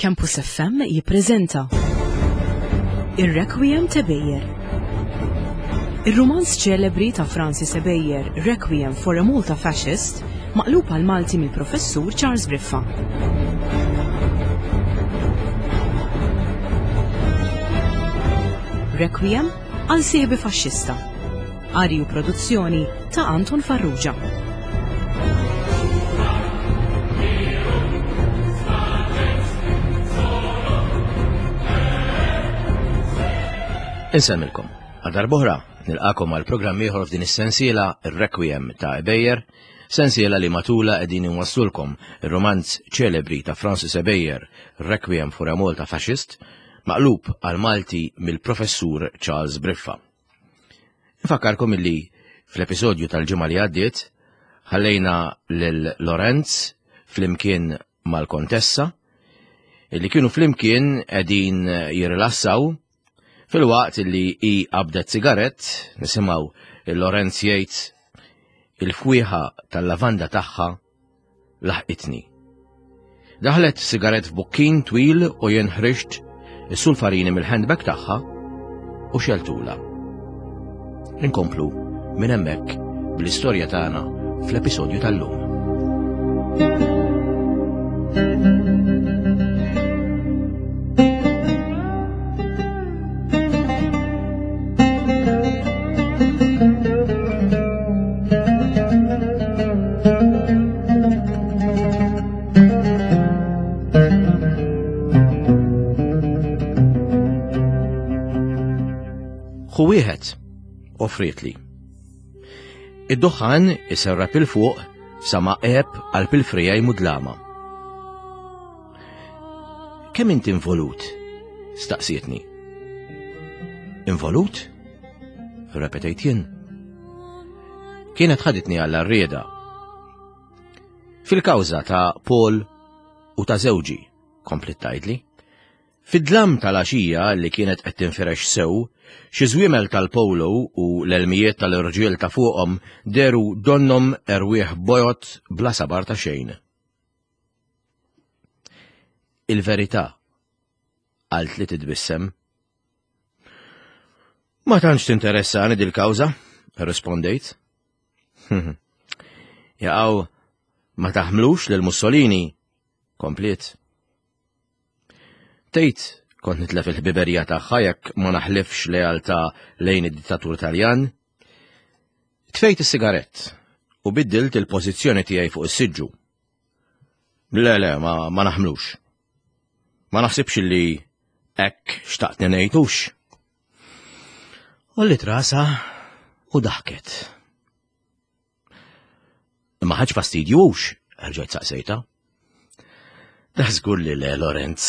Campus FM jippreżenta Ir-Requiem ta' Bejer. Ir-rumanz ċelebri ta' Francis Ebejer, Requiem for a Malta Fascist, maqlub għal Malti mill-Professur Charles Briffa. Requiem għal sieħbi faxxista. Qari u produzzjoni ta' Anton Farrugia. Insemmilkom. Għal darb'oħra nilqakom għal programm ieħor f'din is-sensiela Ir-Requiem ta' Ebejer, sensiela li matula qegħdin inwasslulkom ir-romanz ċelebri ta' Francis Ebejer, Requiem for a Malta Fascist, maqlub għal Malti mill-Professur Charles Briffa. Infakkarkom illi fl-episodju tal-ġimgħa li għaddiet ħallejna lil Lorenz flimkien mal-Kontessa illi kienu flimkien qegħdin jirrilassaw filwaqt illi hi qabdet sigarett nisimgħu il-Lorenz jgħid il-fwieħa tal-lavanda tagħha laħqitni. Daħlet sigaret f'bukkin twil u jien ħriġt is-sulfarini mill-handbag tagħha u xeltula. Inkomplu minn hemmhekk bl-istorja tagħna fl-episodju tal-lum. Hu wieħed, offrietli. Id-duħħan iserrab il fuq sa ma qeb għal pil-frijaj mudlama. Kemm inti involut? Staqsietni. Involut? Repetejt jien. Kienet ħaditni għall rieda Fil-kawża ta' Paul u ta' żewġi, komplet tgħidli. Fid-dlam tal-għaxija li kienet qed tinfirex sew, xi żwiemel tal-polo u l-elmijiet tal-irġiel ta' fuqhom deru donnhom erwieħ bojod bla sabar ta' xejn. Il-verità, qaltli titbissem. Ma tantx tinteressani dil-kawża, rispondejt. Jaqaw, ma taħmlux lil Mussolini, kompliet. Tgħid kont nitlef il-ħbiberija tagħha jekk ma naħlifx lealtà lejn id-dittatur Taljan. Tfejt is-sigarett u biddilt il-pożizzjoni tiegħi fuq is-siġġu. Le, le, ma, ma naħmlux. Ma naħsibx li hekk xtaqtni ngħidux. Ollit rasa u daħket. Imma ħaġ fastidju hux, rġajt saqsejta. Da żgur li le, Lorenz.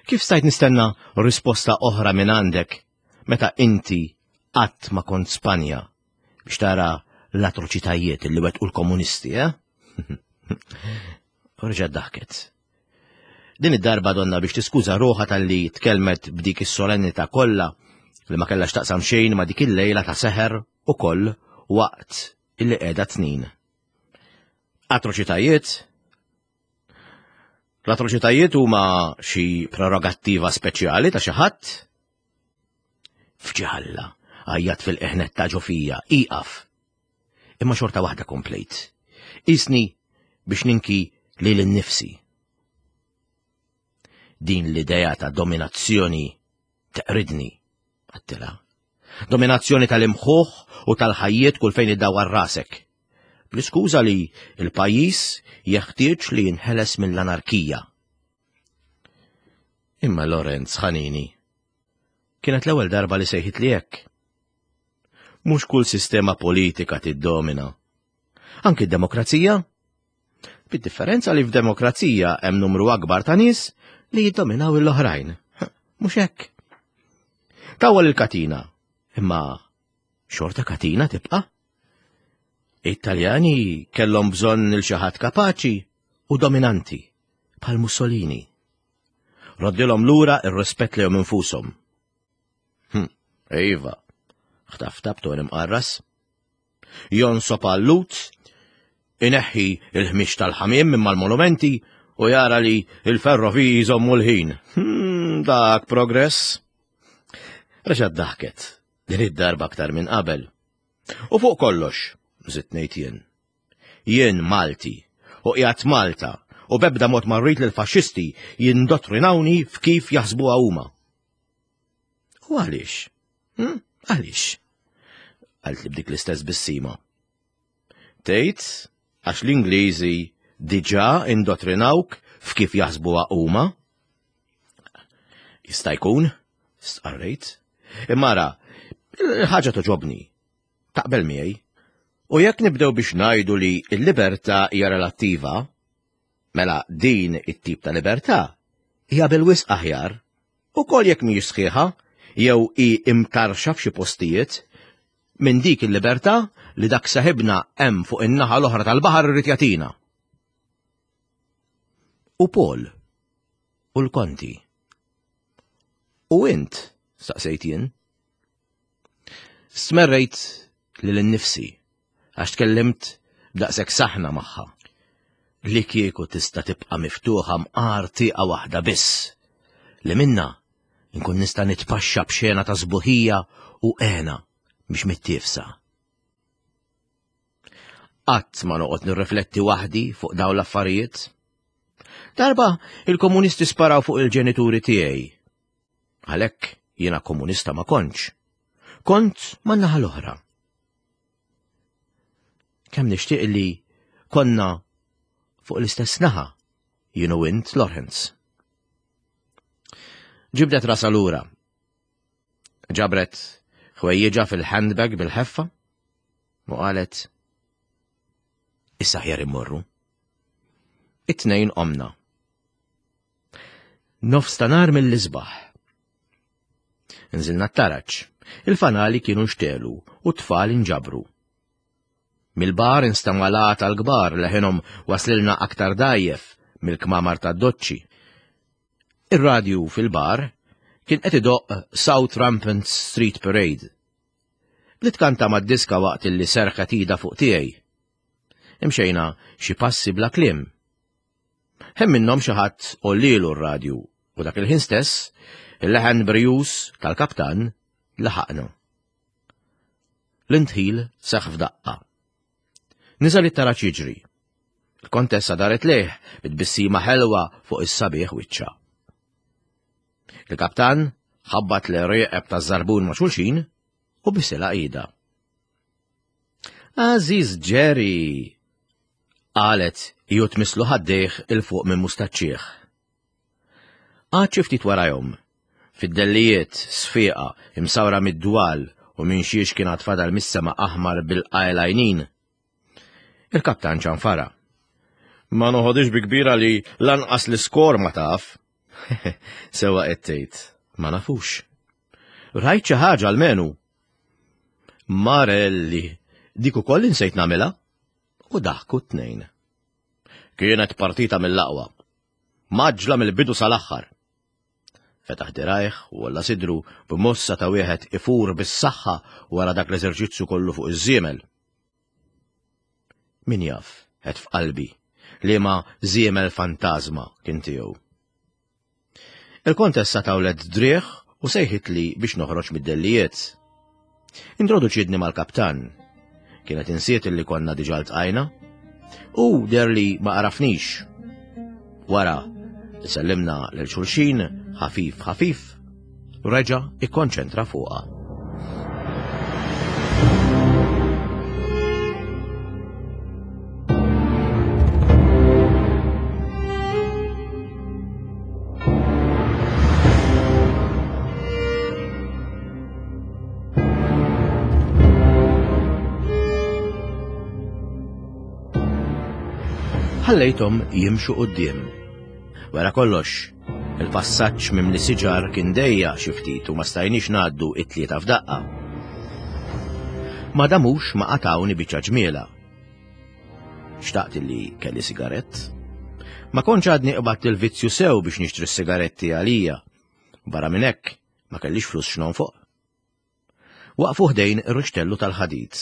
Kif stajt nistenna risposta oħra minn għandek meta inti qatt ma kont Spanja biex tara l-atroċitajiet li wettqu l-komunisti, eh? Reġgħet daħket. Din id-darba donna biex tiskuża ruħha talli tkellmet b'dik is-solennità kollha li ma kellha x'taqsam xejn ma' dik il-lejla ta' seħer ukoll waqt illi qiegħda tnin. Atroċitajiet? L-atroċitajiet huma xi prerogattiva speċjali ta' xi ħadd? Fġalla, għajjat fil-qeħnet ta' ġofija, iqaf. Imma xorta waħda komplejt. Isni biex ninki lil innifsi. Din l-idea ta' dominazzjoni teqridni, għattila. Dominazzjoni tal-imħuħ u tal-ħajjiet kull fejn iddawar rasek. Bl-iskuża li l-pajjiż jeħtieġ li jinħeles mill-anarkija. Imma Lorenz ħanini. Kienet l-ewwel darba li sejħit li hekk. Mhux kull sistema politika tiddomina. Anki d-demokrazija. Bid-differenza li f'demokrazija hemm numru akbar ta' nies li jiddominaw l-oħrajn. Mhux hekk. Tawwal il-katina, imma xorta katina tibqa'. It-Taljani kellhom bżonn il xi ħadd kapaċi u dominanti bħal Mussolini. Roddilhom lura ir-rispett lejhom infushom. Hm, iva, ħtafta b'ton imqarras. Jonsob għal-Lut, ineħħi il-ħmieġ tal-ħamiem minn mal-monumenti. u jara li il-ferroviji jżommu l-ħin. Hmm, dak progress. Reġgħet daħket, din id-darba aktar minn qabel. U fuq kollox, żidt ngħid jien. Jien Malti u qiegħed Malta u bebda mod ma rrid li l-faxxisti jindottrinawni f'kif jaħsbuha huma. U għaliex? Hm? Għaliex? Għalt li b'dik l-istess bissima. Tgħid għax l-Ingliżi diġà indottrinawk f'kif jaħsbuha huma? Jista' jkun, stqarrejt. Imma ara, il-ħaġa toġobni. Taqbel miegħi. U jekk nibdew biex ngħidu li l-libertà hija relattiva, mela din it-tip ta' libertà hija bil-wisq aħjar, ukoll jekk mhijiex sħiħa jew hi imtarxa f'xi postijiet, minn dik il-libertà li dak seħibna hemm fuq in-naħa l-oħra tal-baħar irid jagħtina. U Paul u l-Konti. U int, staqsejt jien. Stmerrejt lil innifsi għax tkellimt b'daqshekk saħna magħha. Li kieku tista' tibqa' miftuħa mqar tieqa waħda biss li minna nkun nista' nitpaxxa b'xena ta' sbuħija u għena biex mittiefsa. Qatt ma noqgħod nirrifletti waħdi fuq dawn l-affarijiet. Darba il-komunisti sparaw fuq il-ġenituri tiegħi. Għalhekk jiena komunista ma kontx. Kont man-naħa l-oħra. Kemm nixtieq li konna fuq l-istess naħa jien u int Lawrence. Ġibdet rasa lura. Ġabret ħwejjiġha fil-handbag bil-ħeffa u qalet issa ħjar immorru. It-tnejn qomna. Nofs ta' nar mill-isbaħ. Nżilna t-taraġ. Il fanali kienu nxtelu u t-tfal inġabru. Mill-bar instema' l-għata tal-kbar leħinhom waslilna aktar dgħajjef mill-kmamar tad-doċċi. Ir-radju fil-bar kien qed idoqq South Rampant Street Parade. Bdiet tkanta mad-diska waqt illi serħet idha fuq tiegħi. Imxejna xi passi bla kliem. Hemm minnhom xi ħadd għollielu r-radju u dak il-ħin stess il-leħen brijuż tal-kaptan laħaqna. L-indħil seħħ f'daqqa. Niżel it-taraġ jiġri. Il-kontessa daret lejh bit-tbissima ħelwa fuq is-sabiħ wiċċha. Il-kaptan ħabbat l-rieqeb taż-żarbun ma' xulxin u bisilha idha. Għażiż Jerry! Qalet hi u tmisslu ħaddejh 'il fuq minn mustaċċih. Qagħad xi ftit warajhom, fid-dellijiet, sfieqa, imsawra mid-dwal u minn xiex kien għad fadal mis-sema aħmar bil-qajl għajnin. Il-kaptan ċanfara. Ma noħodix bi kbira li lanqas l-iskor ma taf. Sewa qed tgħid, ma nafux. Rajt xi ħaġa almenu. Marelli, dik ukoll insejt nagħmilha. U daħku t-tnejn. Kienet partita mill-aqwa. Maġla mill-bidu sal-aħħar. Fetaħ dirajh u għolla sidru b'mossa ta' wieħed ifur bis-saħħa wara dak l-eżerċizzju kollu fuq iż-żiemel. Min jaf, għedt f'qalbi, liema żiemel fantażma kien tiegħu. Il-kontessa tawlet driegħ u sejħitli biex noħroġ mid-dellijiet. Introduċietni mal-kaptan. Kienet insiet li konna diġà ltqajna. U der li ma għarafnix. Wara, sellimna lil xulxin ħafif ħafif, reġa' ikkonċentra fuqha. Ħallejthom jimxu quddiem. Wara kollox, il-passaġġ mimli siġar kien dejja xi ftit u ma stajniex ngħaddu it-tlieta f'daqqa. Ma damux ma qatawni biċċa ġmiela. Xtaqt li kelli sigarett. Ma kontx għadni qbadt il-vizzju sew biex nixtri s-sigaretti għalija. Barra minn hekk, ma kellix flus x'nonfoq. Waqfu ħdejn ir-rixtellu tal-ħadid.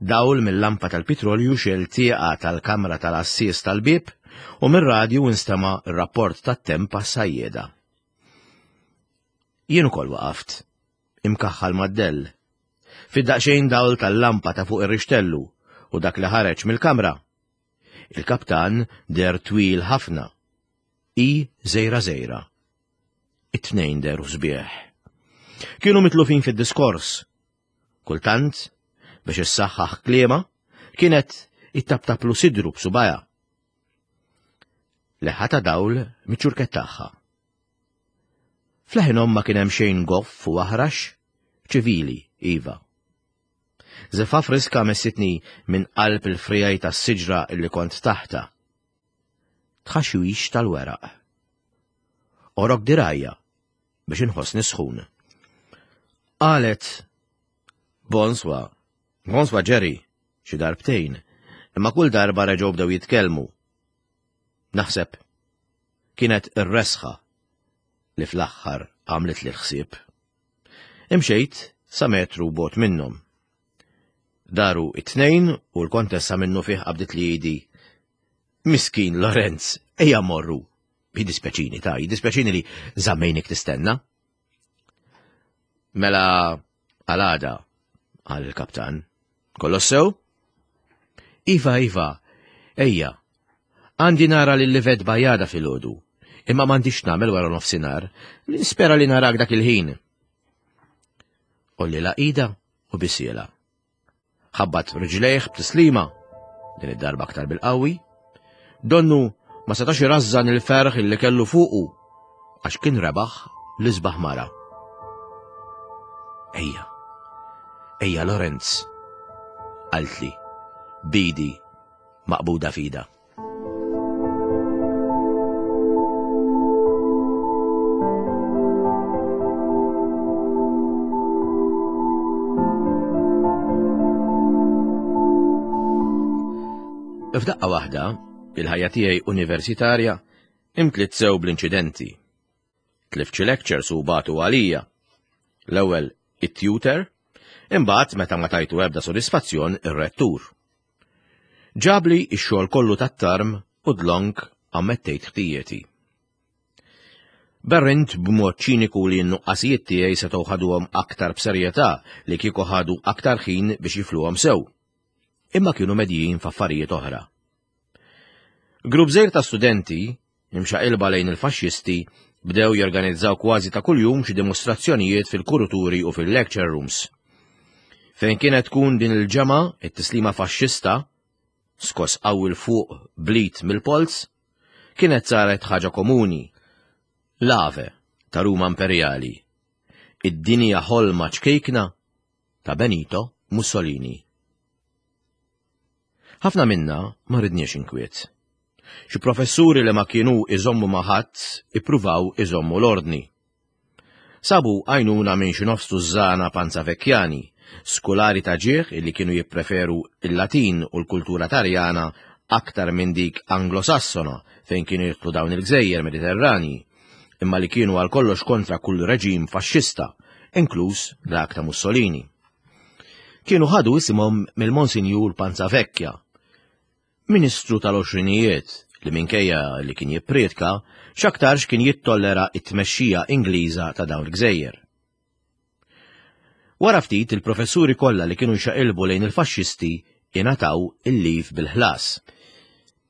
Dawl mill-lampa tal-pitrolju xel tieqa tal-kamra tal-għassies tal-bieb U mir-radju instema' r-rapport tat-temp għas-sajjieda. Jien ukoll waqaft, imkaħħal mad-dell. Fid-daqsxejn dawl tal-lampa ta' fuq ir-rixtellu u dak li ħareġ mill-kamra. Il-kaptan deher twil ħafna. Hi żgħira żgħira. It-tnejn dehru sbieħ. Kienu mitlufin fid-diskors. Kultant, biex issaħħaħ kliema, kienet ittaptaplu sidru b'subajha. Leħħa ta' dawl miċ-ċurkett tagħha. F'leħinhom ma kien hemm xejn goff u aħrax, ċivili, iva. Żeffa friska messitni minn qalb il-friegħi tas-siġra illi kont taħtha. Tħaxwix tal-weraq. Orok dirajja biex inħossni sħun. Qalet, Bonswa, bonswa Jerry, xi darbtejn, imma kull darba reġgħu bdew jitkellmu. Naħseb kienet ir-resħa li fl-aħħar għamlitli l-ħsieb. Imxejt sa metru bogħod minnhom. Daru it-tnejn u l-kontessa minnu fih qabdit li idi. Miskin Lorenz, ejja morru. Jiddispjaċini ta' jiddispjaċini li żammejnik tistenna. Mela għal-għada, qal il-kaptan. Kollox sew? Iva, iva, ejja. Għandi nara lil Livet Bajada filgħodu, imma m'għandix nagħmel wara nofsinhar, nispera li narak dak il-ħin. Olli ida u bisiela. Ħabbat riġlejh b'tislima, din id-darba aktar bil-qawwi. Donnu ma setax irażżan il-ferħ illi kellu fuqu għax kien rebaħ l-isbaħ mara. Ejja, ejja Lorenz, qaltli, bidi maqbuda fida. F'daqqa waħda, il-ħajja tiegħi universitarja imtliet sew bl-inċidenti. Tlift xi lectures u bagħtu għalija. L-ewwel it-tutor, imbagħad meta ma tajtu ebda sodisfazzjon ir-rettur. Ġabli x-xogħol kollu tat-tarm u dlonk ammettejt ħtijieti. Berrint b'mod ċiniku li n-nuqqasijiet tiegħi setgħu ħaduhom aktar b'serjetà li kieku ħadu aktar ħin biex jifluhom sew. Imma kienu medjin f'affarijiet oħra. Grupp żgħir ta' studenti, imxaqilba lejn il-faxxisti, bdew jorganizzaw kważi ta' kuljum xi dimostrazzjonijiet fil-kuruturi u fil-lecture rooms. Fejn kienet tkun din il-ġemgħa, it-tislima faxxista, skoss qawwi 'l fuq blit mill-polz, kienet saret ħaġa komuni. L-Ave ta' Ruma Imperjali. Id-dinja ħolma ċkejkna ta' Benito Mussolini. Ħafna minna ma ridniex inkwiet. Xi professuri li ma kienu iżommu ma' ħadd ippruvaw iżommu l-ordni. Sabu għajnuna minn xi nofs tużżana panzavekjani, skulari ta' ġieħ illi kienu jippreferu il-Latin u l-kultura Taljana aktar minn dik Anglosassona fejn kienu jidħlu dawn il-gżejjer Mediterranji, imma li kienu għal kollox kontra kull reġim faxxista, inkluż dak ta' Mussolini. Kienu ħadu isimhom mill-Monsinjur Panzavecchia, ministru tal-għoxrinijiet li minkejja li kien jipprietka, x'aktarx kien jittollera t-tmexxija Ingliża ta' dawn il-gżejjer. Wara ftit il-professuri kollha li kienu jxaqilbu lejn il-faxxisti ingħataw il-leave bil-ħlas.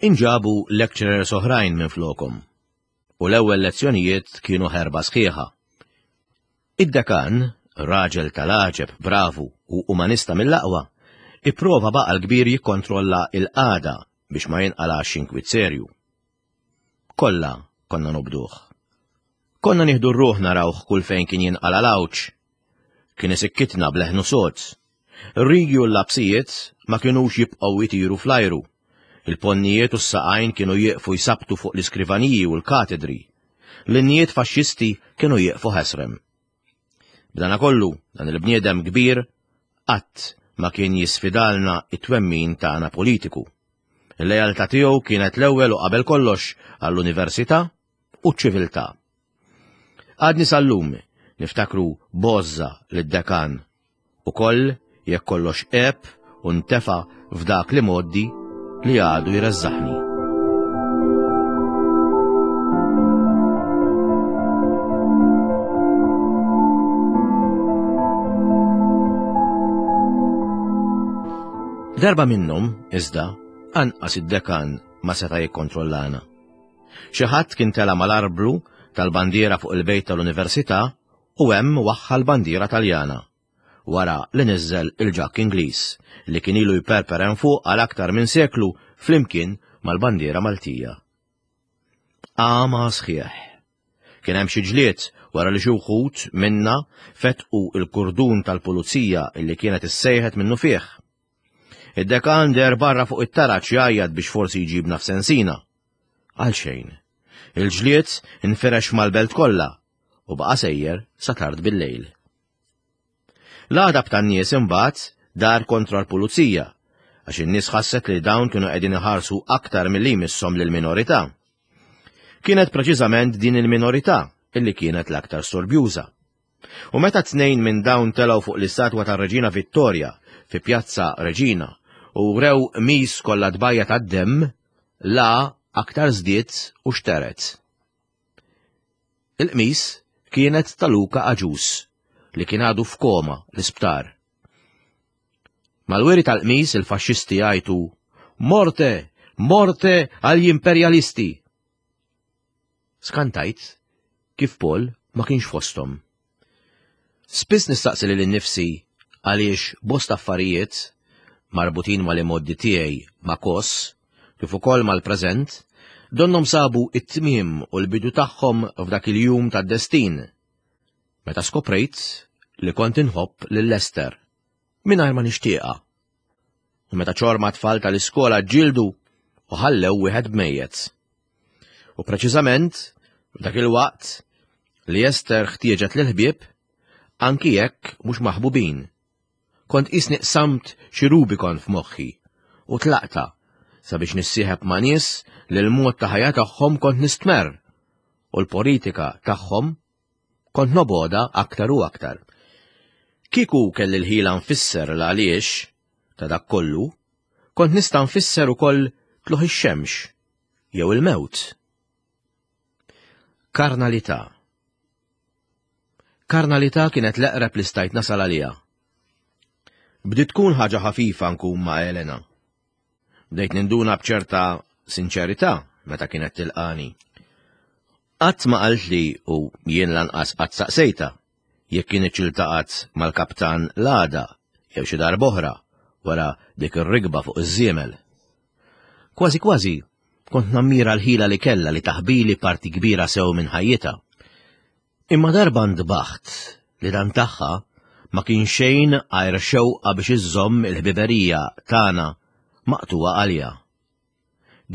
Inġabu lecturers oħrajn minflokhom u l-ewwel lezzjonijiet kienu ħerba sħiħa. Id-dekan, raġel tal-għaġeb, bravu u umanista mill-aqwa, ipprova b'għaqal kbir jikkontrolla l-qagħda biex ma jinqalax inkwiet serju. Kollha konna nobduh. Konna nieħdu r-ruħ narawh kull fejn kien jinqala' l-għawġ. Kien isikkitna b'leħnu sod. Ir-rigi u l-lapsijiet ma kinux jibqgħu jtiru fl-ajru. Il-ponnijiet u s-saqajn kienu jieqfu jsabbtu fuq l-iskrivaniji u l-katedri. L-innijiet faxxisti kienu jieqfu ħesrem. B'danakollu, dan il-bniedem kbir qatt ma kien jisfidalna it-twemmin tagħna politiku. Il-lealtà tiegħu kienet l-ewwel u qabel kollox għall-università u ċ-ċiviltà. Għadni sal-lum niftakru b'għożża lid-dekan Ukoll jekk kollox għeb u ntefa' f'dak l-imgħoddi li għadu jreżżaħni. Darba minnhom, iżda, anqas id-dekan ma seta' jikkontrollana. Xi ħadd kien tela' mal-arblu tal-bandiera fuq il-bejt tal-università u hemm waħħal bandiera Taljana, wara li niżżel il-ġakk Ingliż li kien ilu jperper hemm fuq għal aktar minn seklu flimkien mal-bandiera Maltija. Għama sħiħ. Kien hemm xi ġlied wara li xi wħud minna fetqu il-kurdun tal-pulizija illi kienet issejħet minnufih. Id-dekan deher barra fuq it-taraġ jgħajjat biex forsi jġibna f'sensina. Għal xejn. Il-ġlied infirex mal-belt kollha u baqa' sejjer sa tard bil-lejl. L-għadab tan-nies imbagħad dar kontra l-pulizija għax in-nies ħasset li dawn kienu qegħdin iħarsu aktar milli jmisshom lill-minorità. Kienet preċiżament din il-minorità illi kienet l-aktar storbjuża. U meta tnejn minn dawn telgħu fuq l-istatwa tar-Reġina Vittoria fi Pjazza Reġina u wrew qmis kollha tbajja tad-demm, la aktar żdied u xtered. Il-qmis kienet ta' Luca Agius li kien għadu f'koma l-isptar. Mal-wiri tal-qmis il-faxxisti jgħajtu Morte! Morte għall imperjalisti! Skantajt kif Paul ma kienx fosthom. Spiss nistaqsi lili nnifsi għaliex bosta affarijiet marbutin mal-imgħoddi tiegħi ma' Kos, kif ukoll mal-preżent, donnhom sabu t-tmiem u l-bidu tagħhom f'dak il-jum tad-destin, meta skoprejt li kont inħobb lil Esther, mingħajr ma nixtieqha. U meta ċorma tfal tal-iskola ġġieldu u ħallew wieħed b'mejjet. U preċiżament f'dak il-waqt li Ester ħtieġet lill-ħbieb, anki jekk mhux maħbubin. Kont qisni qsamt xi Rubicon f'moħħi u tlaqta sabiex nissieħeb ma' nies li l-mod ta' ħajja tagħhom kont nistmerr u l-politika tagħhom kont nobgħodha aktar u aktar. Kieku kelli l-ħila nfisser l-għaliex ta' dak kollu, kont nista' nfisser ukoll tlugħ ix-xemx jew il-mewt. Karnalità. Karnalità kienet l-eqreb li stajt nasal għaliha. Bdiet tkun ħaġa ħafifa nkun ma' Elena. Bdejt ninduna b'ċerta sinċerità meta kienet tilqani. Qatt ma qaltli u jien lanqas qatt saqsejtha jekk kinitx iltaqgħet mal-kaptan l-għada jew xi darb'oħra wara dik ir-rikba fuq iż-żiemel. Kważi kważi kont nammira l-ħila li kellha li taħbili parti kbira sew minn ħajjitha. Imma darba ntbaħt li dan tagħha ma kien xejn għajr xewqa biex iżżomm il-ħbiberija tagħna maqtugħa għaliha.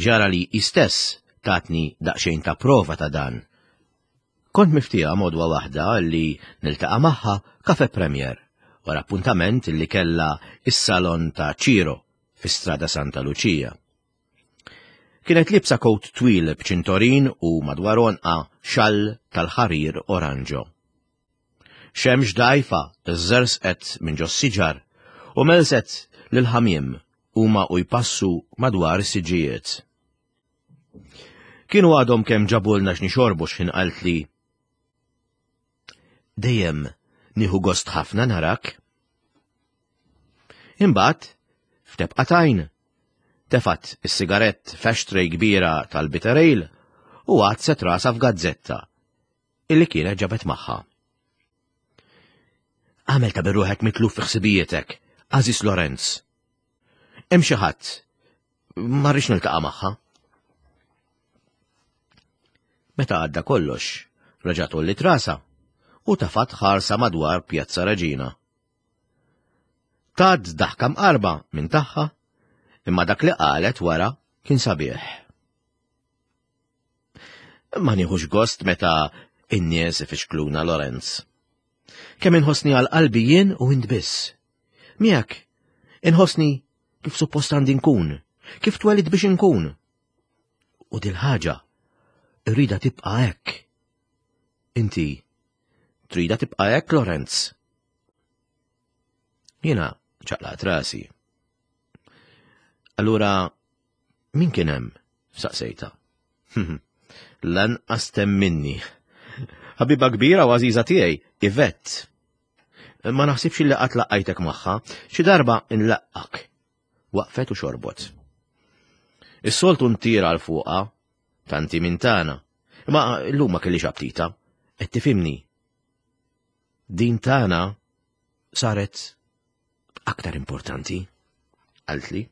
Ġara li hi stess tatni daqsxejn ta' prova ta' dan. Kont miftieham għodwa waħda li niltaqa' magħha Café Premier wara appuntament li kellha s-salon ta' Ciro fi Strada Santa Lucia. Kienet liebsa kowt twil b'ċintorin u madwar għonqha xall tal-ħarir oranġo. Xemx dgħajfa żżerżqet minn ġos-siġar u melset lill-ħamiem huma u jpassu madwar is-siġġijiet. Kienu għadhom kemm ġabulna x'nixorbu x'ħin qaltli Dejjem nieħu gost ħafna narak. Imbagħad, f'tebqa t'għajn, tefgħet is-sigarett f'ashtray kbira tal-bitter ale u għadset rasha f'gazzetta illi kienet ġabet magħha. Għamel ta' birruħek mitluf fi ħsibijietek, Aziz Lorenz. Hemm xi ħadd ma rridx niltaqa' magħha. Meta għadda kollox, reġgħet għolliet rasha u tafat ħarsa madwar Pjazza Reġina. Tad daħka mqarba minn tagħha, imma dak li qalet wara kien sabiħ. Ma nieħux gost meta in-nies ifixkluna Lorenz. Kemm inħossni għal qalbi jien u int biss. Miegħek, inħossni kif suppost għandi nkun, kif twelid biex inkun. U dil-ħaġa rrida tibqa' hekk. Inti trida tibqa' hekk, Lorenz? Jiena ċaqlaqt rasi. Allura Min kien hemm? saqsejtha. Lanqas temminni. Ħabiba kbira u għażiża tiegħi, Yvette. Ma naħsibx li qatt laqqajtek magħha, xi darba nlaqqak. Waqfet u xorbot. Is-soltu ntir għal fuqha, tanti minn tagħna. Imma llum ma kellix aptita. Qed tifhimni. Din tagħna saret aktar importanti, qaltli.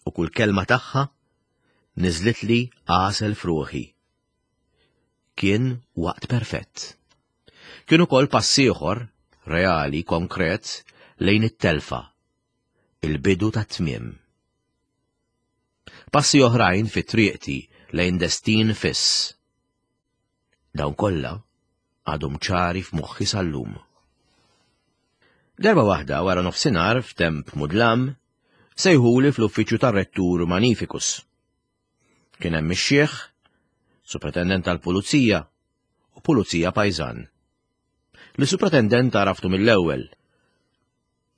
U kull kelma tagħha niżlitli għasel f'ruħi. Kien waqt perfett. Kien ukoll pass ieħor, reali, konkret, lejn it-telfa, il-bidu tat-tmiem. Passi oħrajn fi triqti lejn destin fiss. Dawn kollha għadhom ċari f'moħħi sal-lum. Darba waħda wara nofsinhar f'temp mudlam, sejħuli fl-uffiċċju tar-rettur Magnificus. Kien hemm ix-xiħ, supretendent tal-pulizija u pulizija pajżan. Lis-supretendent għaraftu mill-ewwel.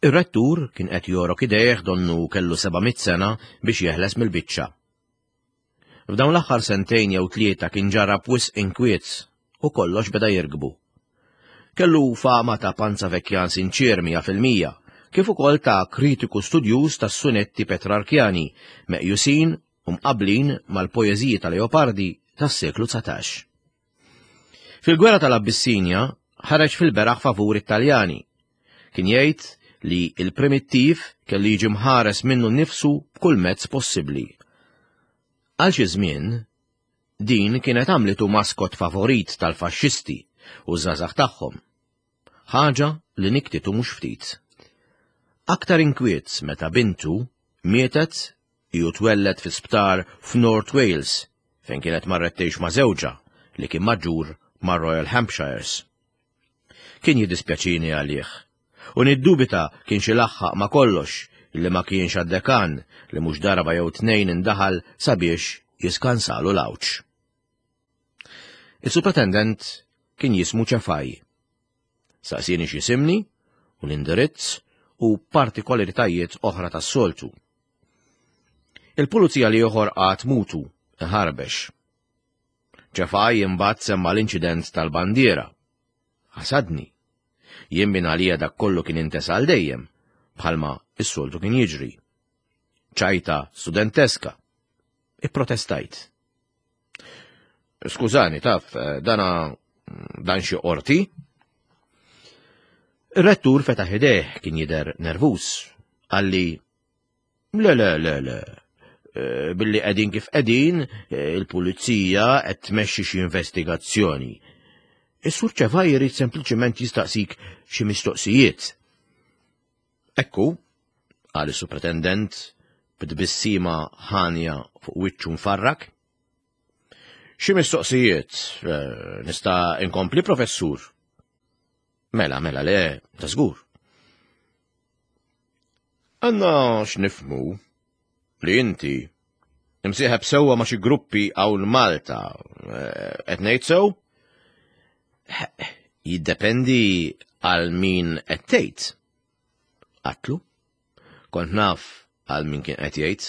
Ir-rettur kien qed jorok idejh donnu kellu 700 sena biex jeħles mill-biċċa. F'dawn l-aħħar sentejn jew tlieta kien ġarrab wisq inkwiet u kollox beda jirkbu. Kellu fama ta' panzavekjan sinċier 100%, kif ukoll ta' kritiku studjuż tas-sunetti Petrarkjani, meqjusin u mqabblin mal-poeżiji ta' Leopardi tas-seklu 19. Fil-gwerra tal-Abbissinja ħareġ fil-beraħ favur it-Taljani. Kien jgħid li il-primittiv kellu jiġi mħares minnu nnifsu b'kull mezz possibbli. Għal xi żmien, din kienet għamlitu maskot favorit tal-faxxisti u żgħażagħ tagħhom. Ħaġa li niktitu mhux ftit. Aktar inkwiet meta bintu mietet Hi twelled fi sptar f'North Wales fejn kienet marret tgħix ma' żewġha li kien maġġur mar-Royal Hampshires. Kien jiddispjaċini għalih u niddubita kienx ilaħħaq ma' kollox li ma kienx għad-dekan li mhux darba jew tnejn indaħal sabiex jiskansalu l-għawġ. Is-supretendent kien jismu Ċefaj. Saqsieni x'jisimni u l-indirizz u partikolaritajiet oħra tas-soltu. Il-pulizija li ieħor qagħad mutu, iħarbex. Ċefaj imbagħad semma l-inċident tal-bandiera. Ħasadni. Jien minn għalija dak kollu kien intesa għal dejjem, bħalma s-soltu kien jiġri. Ċajta studenteska. Ipprotestajt. Skużani, taf, eh, dana dan xi qorti? Ir-rettur fetaħ idejh kien jidher nervuż. Qalli, le, le, le, le, eh, billi qegħdin kif qegħdin, eh, il-pulizija qed tmexxi xi investigazzjoni. Is-sur Ċevaj jrid sempliċement jistaqsik xi mistoqsijiet. Ekku, qal is-supretendent b'tbissima ħanja fuq wiċċu mfarrak. Xi mistoqsijiet, eh, nista' inkompli professur? Mela, mela, le, ta' żgur. Għanna x'nifmu li inti imsieħeb sewwa ma' xi gruppi hawn Malta, eh, qed ngħid sew? Jiddependi għal min qed tgħid. Qatlu. Kont naf għal min kien qed jgħid.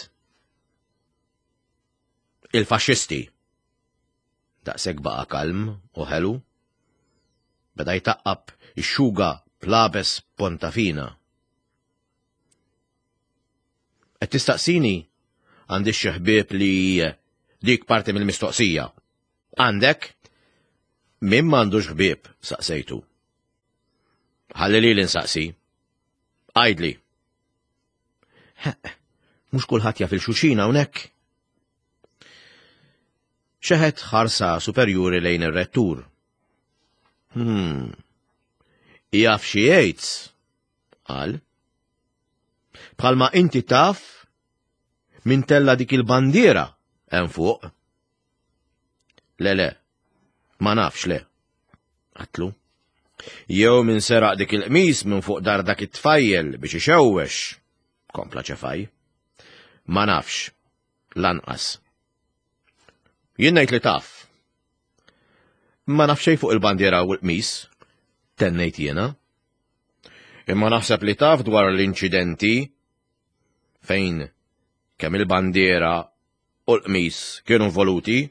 Il-faxxisti. Daqshekk baqa' kalm u ħelu. Beda jtaqqab ix-xuga plabes ponta fina. Qed tistaqsini għandi xi ħbieb li dik parti mill-mistoqsija. Għandek? Min m'għandux ħbieb, saqsejtu. Ħalli li l-insaqsi. Għajdli. Mhux kulħadd jaf il-xuxin hawnhekk. Xeħet ħarsa superjuri lejn ir-rettur. Hmm. Jaf xi jgħid, qal. Bħalma inti taf min tella dik il-bandiera hemm fuq. Le le, ma nafx le. Għatlu. Jew min seraq dik il-qmis minn fuq dar dak it-tfajjel biex ixewwex, kompla ċefaj. Ma nafx, lanqas. Jien ngħid li taf. Ma naf xejn fuq il-bandiera u l-qmis, tennejt jiena. Imma naħseb li taf dwar l-inċidenti fejn kemm il-bandiera u l-qmis kienu involuti.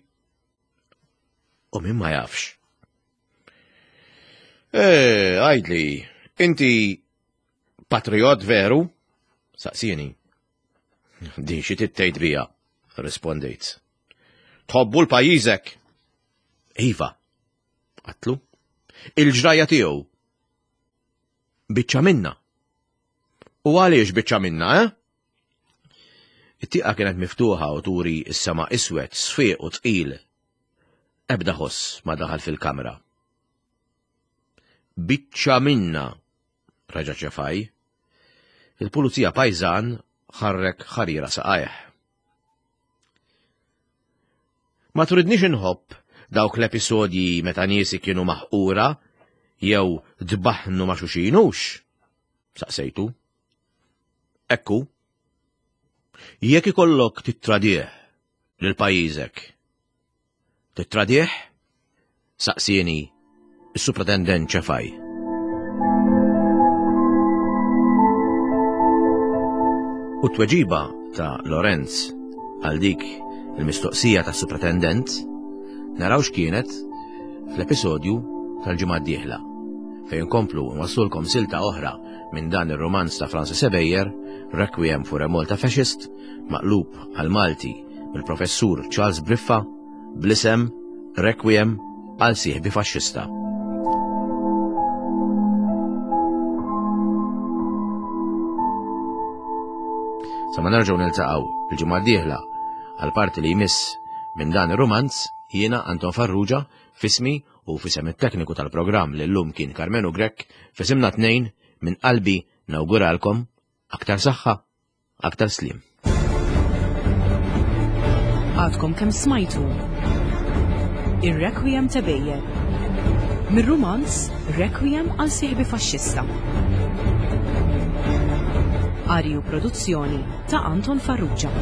U min ma jafx. Eh, għajdli, inti patriot veru? Saqsieni. Din xi tittejt bija, rispondejt. Tħobbu l-pajjiżek? Iva, għatlu. Il-ġrajja tiegħu. Biċċa minna. U għaliex biċċa minna, eh? It-tieqa kienet miftuħa u turi s-sema iswed, sfiq u tqil. Ebda ħoss ma daħal fil-kamra. Biċċa minna, reġa' ċefaj. Il-pulizija pajżan ħarrek ħarira saqajh. Ma turidnix inħobb dawk l-episodji meta niesi kienu maħqura jew dbaħnu ma' xuxinux? Saqsejtu. Ekku. Jekk ikollok tittradih lil pajjiżek, Tittradih? Saqsieni s-Supretendent Ċefaj. U t-tweġiba ta' Lorenz għal dik il-mistoqsija tas supretendent naraw x'kienet fl-episodju tal-ġimgħa d-dieħla fejn nkomplu nwassulkom silta oħra minn dan ir-rumanz ta' Francis Ebejer, Requiem for a Malta Fascist, maqlub għal Malti mill-Professur Charles Briffa bl-isem Requiem għal sieħbi faxxista. Sa ma nerġgħu niltaqgħu il-ġimgħa d-dieħla għal parti li jmiss minn dan ir-rumanz jiena Anton Farrugia fismi u fisem it-tekniku tal-programm li llum kien Karmenu Grech fisimna tnejn minn qalbi nawguralkom aktar saħħa Aktar sliem. Għadkom kemm smajtu Ir-Requiem ta' Bejjer. Mir-rumanz Requiem għal sieħbi faxxista. Qari u produzzjoni ta' Anton Farrugia.